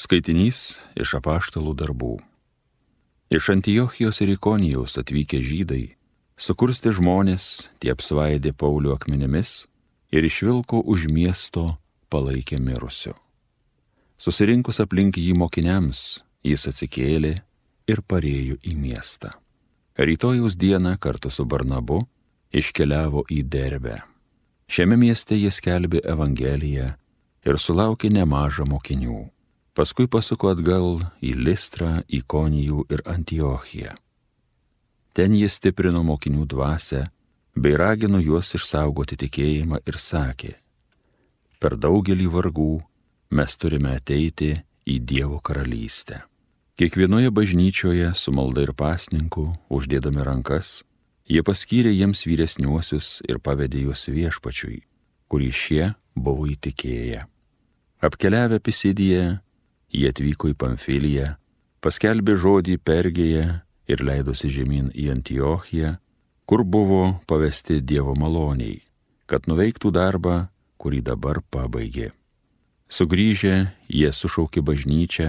Skaitinys iš apaštalų darbų. Iš Antiochijos ir Ikonijos atvykę žydai sukurstė žmonės, tie apsvaidė Paulių akmenimis ir išvilko už miesto palaikė mirusiu. Susirinkus aplink jį mokiniams, jis atsikėlė ir parėjo į miestą. Rytojaus dieną kartu su Barnabu iškeliavo į Derbę. Šiame mieste jis skelbė Evangeliją ir sulaukė nemažą mokinių. Paskui pasuko atgal į Listrą, Ikonijų ir Antiochiją. Ten jis stiprino mokinių dvasią bei ragino juos išsaugoti tikėjimą ir sakė: per daugelį vargų mes turime ateiti į Dievo karalystę. Kiekvienoje bažnyčioje su malda ir pasninku, uždėdami rankas, jie paskyrė jiems vyresniuosius ir pavedė juos Viešpačiui, kurį šie buvo įtikėję. Apkeliavę Pisidiją, jie atvyko į Pamfiliją, paskelbė žodį Pergėje ir leidosi žemyn į Antiochiją, kur buvo pavesti Dievo maloniai, kad nuveiktų darbą, kurį dabar pabaigė. Sugrįžę, jie sušaukė bažnyčią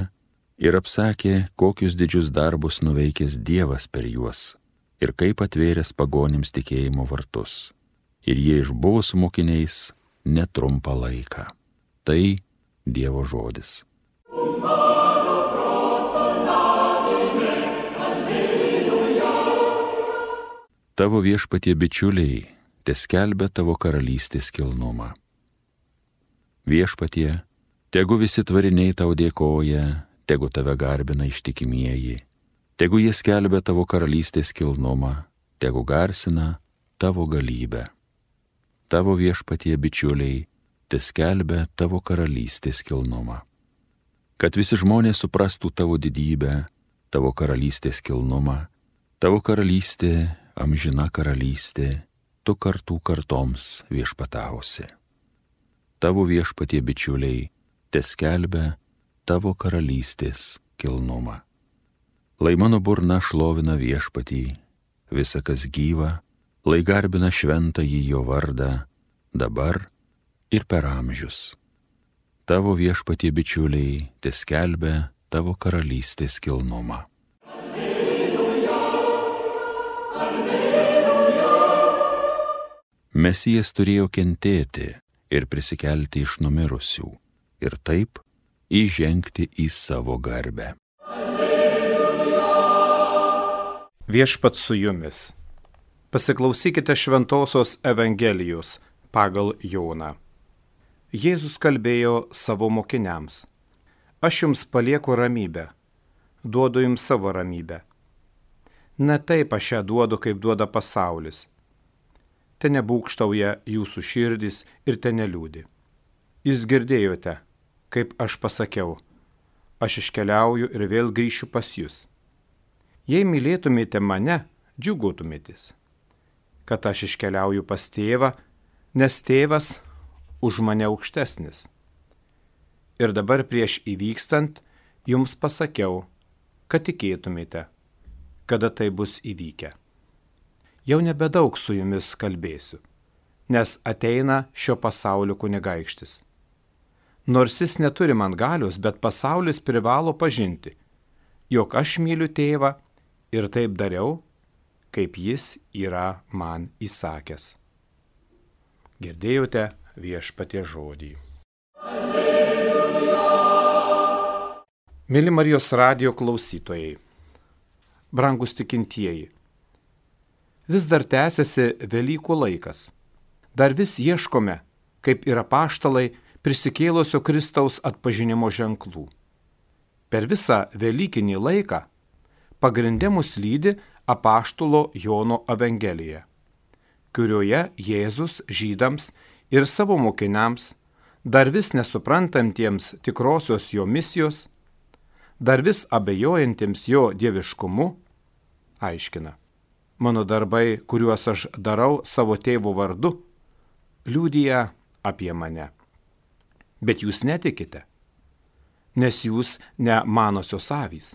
ir apsakė, kokius didžius darbus nuveikęs Dievas per juos ir kaip atvėręs pagonims tikėjimo vartus. Ir jie išbuvo su mokiniais netrumpą laiką. Tai Dievo žodis. Tavo Viešpatie bičiuliai teskelbia tavo karalystės kilnumą. Viešpatie, tegu visi tvariniai tau dėkoja, tegu tave garbina ištikimieji, tegu jie skelbia tavo karalystės kilnumą, tegu garsina tavo galybę. Tavo Viešpatie bičiuliai teskelbia tavo karalystės kilnumą. Kad visi žmonės suprastų tavo didybę, tavo karalystės kilnumą, tavo karalystė, amžina karalystė, tu kartų kartoms viešpatausi. Tavo Viešpatie bičiuliai teskelbia tavo karalystės kilnumą. Lai mano burna šlovina Viešpatį, visa kas gyva, lai garbina šventąjį jo vardą, dabar ir per amžius. Tavo Viešpatie bičiuliai teskelbia tavo karalystės kilnumą. Alleluja, alleluja. Mesijas turėjo kentėti ir prisikelti iš numirusių ir taip įžengti į savo garbę. Alleluja. Viešpats su jumis. Pasiklausykite šventosios Evangelijos pagal Joną. Jėzus kalbėjo savo mokiniams: aš jums palieku ramybę, duodu jums savo ramybę. Ne taip aš ją duodu, kaip duoda pasaulis. Te nebūgštauja jūsų širdys ir te neliūdi. Jūs girdėjote, kaip aš pasakiau: aš iškeliauju ir vėl grįšiu pas jūs. Jei mylėtumėte mane, džiuguotumėtės, kad aš iškeliauju pas tėvą, nes tėvas už mane aukštesnis. Ir dabar prieš įvykstant jums pasakiau, kad tikėtumėte, kada tai bus įvykę. Jau nebedaug su jumis kalbėsiu, nes ateina šio pasaulio kunigaikštis. Nors jis neturi man galios, bet pasaulis privalo pažinti, jog aš myliu tėvą ir taip dariau, kaip jis yra man įsakęs. Girdėjote Viešpatie žodį. Alleluja. Mėly Marijos radijo klausytojai, brangūs tikintieji, vis dar tęsiasi Velykų laikas. Dar vis ieškome, kaip ir apaštalai, prisikėlusio Kristaus atpažinimo ženklų. Per visą Velykinį laiką pagrinde mus lydi apaštalo Jono Evangelija, kurioje Jėzus žydams ir savo mokiniams, dar vis nesuprantantiems tikrosios jo misijos, dar vis abejojantiems jo dieviškumu, aiškina: mano darbai, kuriuos aš darau savo tėvo vardu, liudija apie mane. Bet jūs netikite, nes jūs ne manosios avys.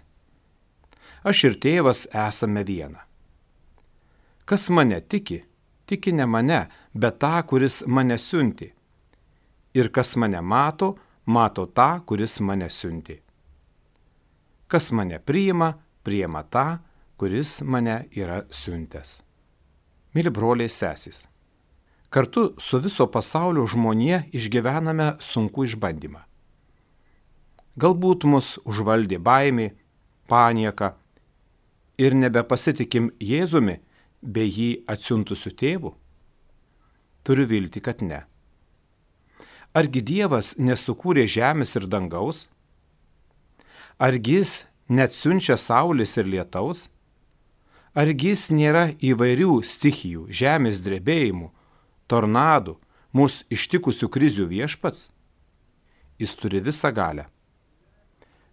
Aš ir tėvas esame viena. Kas mane tiki, tiki ne mane, bet tą, kuris mane siunti. Ir kas mane mato, mato tą, kuris mane siunti. Kas mane priima, priima tą, kuris mane yra siuntęs. Mėly broliai sesės, kartu su viso pasaulio žmonija išgyvename sunkų išbandymą. Galbūt mus užvaldė baimė, panieka ir nebepasitikim Jėzumi bei jį atsiuntusiu tėvu? Turiu viltį, kad ne. Argi Dievas nesukūrė žemės ir dangaus? Argi jis neatsiunčia saulės ir lietaus? Argi jis nėra įvairių stichijų, žemės drebėjimų, tornadų, mūsų ištikusių krizių viešpats? Jis turi visą galią.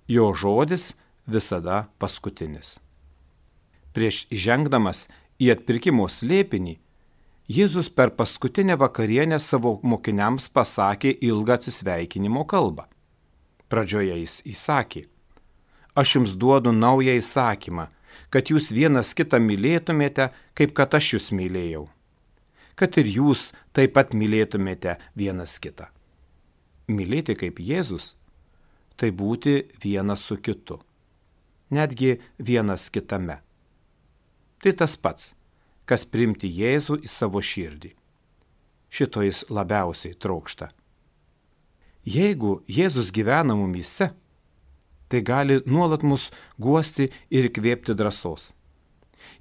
Jo žodis visada paskutinis. Prieš įžengdamas į atpirkimo slėpinį, Jėzus per paskutinę vakarienę savo mokiniams pasakė ilgą atsisveikinimo kalbą. Pradžioje jis įsakė: Aš jums duodu naują įsakymą, kad jūs vienas kitą mylėtumėte, kaip kad aš jūs mylėjau. Kad ir jūs taip pat mylėtumėte vienas kitą. Mylėti kaip Jėzus – tai būti vienas su kitu, netgi vienas kitame. Tai tas pats, kas priimti Jėzų į savo širdį. Šito jis labiausiai trokšta. Jeigu Jėzus gyvena mumyse, tai gali nuolat mus guosti ir įkvėpti drąsos.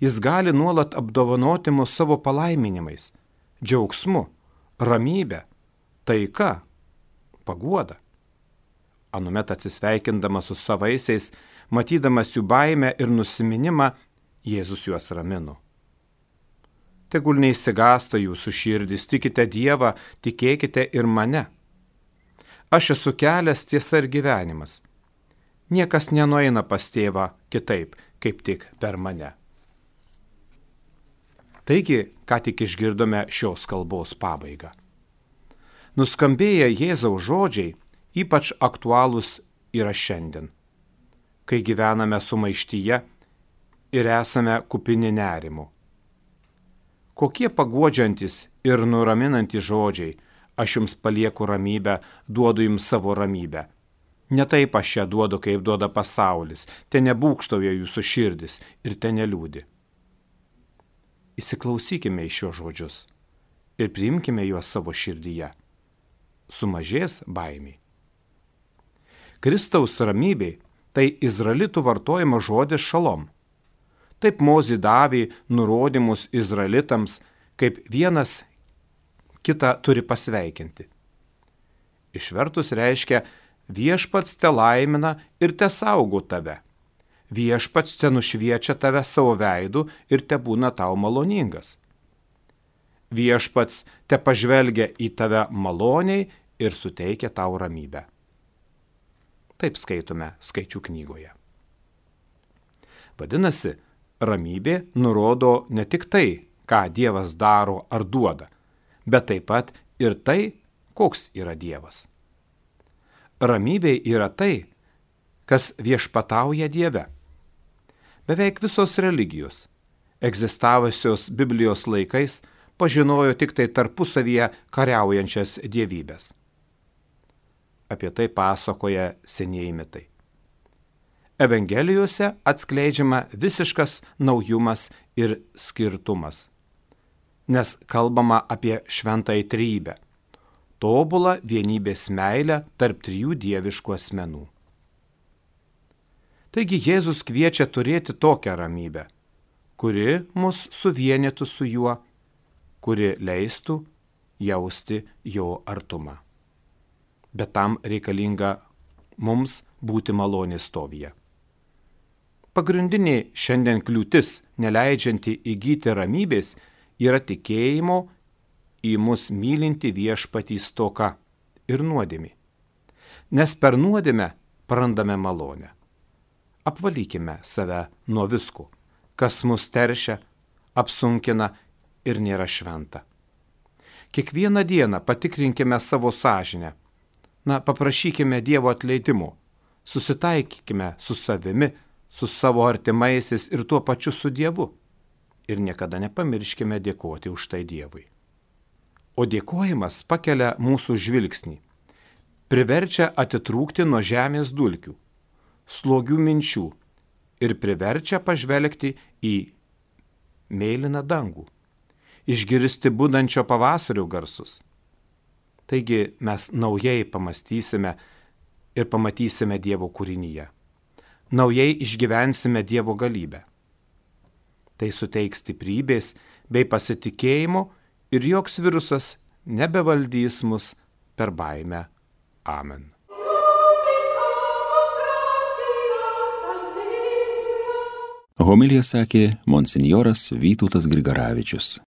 Jis gali nuolat apdovanoti mus savo palaiminimais, džiaugsmu, ramybe, taika, paguoda. Anuomet atsisveikindamas su savaisiais, matydamas jų baimę ir nusiminimą, Jėzus juos ramino. Tegul neišsigąsta jūsų širdis, tikite Dievą, tikėkite ir mane. Aš esu kelias, tiesa ir gyvenimas. Niekas nenueina pas tėvą kitaip, kaip tik per mane. Taigi, ką tik išgirdome šios kalbos pabaigą. Nuskambėję Jėzaus žodžiai ypač aktualūs yra šiandien, kai gyvename sumaištyje ir esame kupini nerimo. Kokie paguodžiantis ir nuraminantys žodžiai: Aš jums palieku ramybę, duodu jums savo ramybę. Ne taip aš ją duodu, kaip duoda pasaulis, te nebūkštauja jūsų širdis ir te neliūdi. Įsiklausykime į šios žodžius ir priimkime juos savo širdyje. Sumažės baimė. Kristaus ramybė tai izraelitų vartojamas žodis šalom. Taip Mozė davė nurodymus izraelitams, kaip vienas kitą turi pasveikinti. Išvertus reiškia: Viešpats te laimina ir te saugo tave. Viešpats te nušviečia tave savo veidu ir te būna tau maloningas. Viešpats te pažvelgia į tave maloniai ir suteikia tau ramybę. Taip skaitome Skaičių knygoje. Vadinasi, ramybė nurodo ne tik tai, ką Dievas daro ar duoda, bet taip pat ir tai, koks yra Dievas. Ramybė yra tai, kas viešpatauja Dieve. Beveik visos religijos, egzistavusios Biblijos laikais, pažinojo tik tai tarpusavyje kariaujančias dievybės. Apie tai pasakoja senieji mitai. Evangelijose atskleidžiama visiškas naujumas ir skirtumas, nes kalbama apie šventąją trejybę, tobulą vienybės meilę tarp trijų dieviškų asmenų. Taigi Jėzus kviečia turėti tokią ramybę, kuri mus suvienytų su juo, kuri leistų jausti jo artumą. Bet tam reikalinga mums būti malonės stovyje. Pagrindinė šiandien kliūtis, neleidžianti įgyti ramybės, yra tikėjimo į mus mylinti viešpatį stoka ir nuodėmė. Nes per nuodėmę prarandame malonę. Apvalykime save nuo visko, kas mus teršia, apsunkina ir nėra šventa. Kiekvieną dieną patikrinkime savo sąžinę. Paprašykime Dievo atleidimo, susitaikykime su savimi, su savo artimaisiais ir tuo pačiu su Dievu. Ir niekada nepamirškime dėkoti už tai Dievui. O dėkojimas pakelia mūsų žvilgsnį, priverčia atitrūkti nuo žemės dulkių, slogių minčių ir priverčia pažvelgti į mėlyną dangų, išgirsti budančio pavasario garsus. Taigi mes naujai pamastysime ir pamatysime Dievo kūrinyje. Naujai išgyvensime Dievo galybę. Tai suteiks stiprybės bei pasitikėjimo ir joks virusas nebevaldys mus per baimę. Amen. Homiliją sakė monsinjoras Vytautas Grigaravičius.